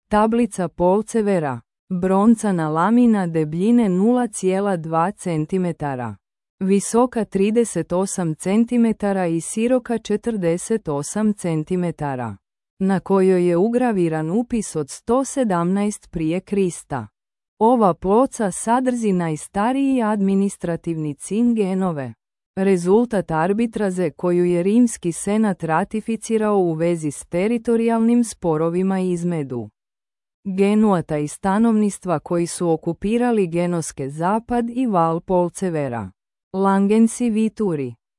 Tablica Polcevera. Broncana lamina debljine 0,2 cm. Visoka 38 cm i široka 48 cm. Na kojoj je ugraviran upis od 117 prije Krista. Ova ploča sadrži najstariji administrativni cin genove. Rezultat arbitraže koju je Rimski senat ratificirao u vezi s teritorijalnim sporovima između Genuata i stanovništva koji su okupirali Genoske zapad i Val Polcevera. Langensi Vituri.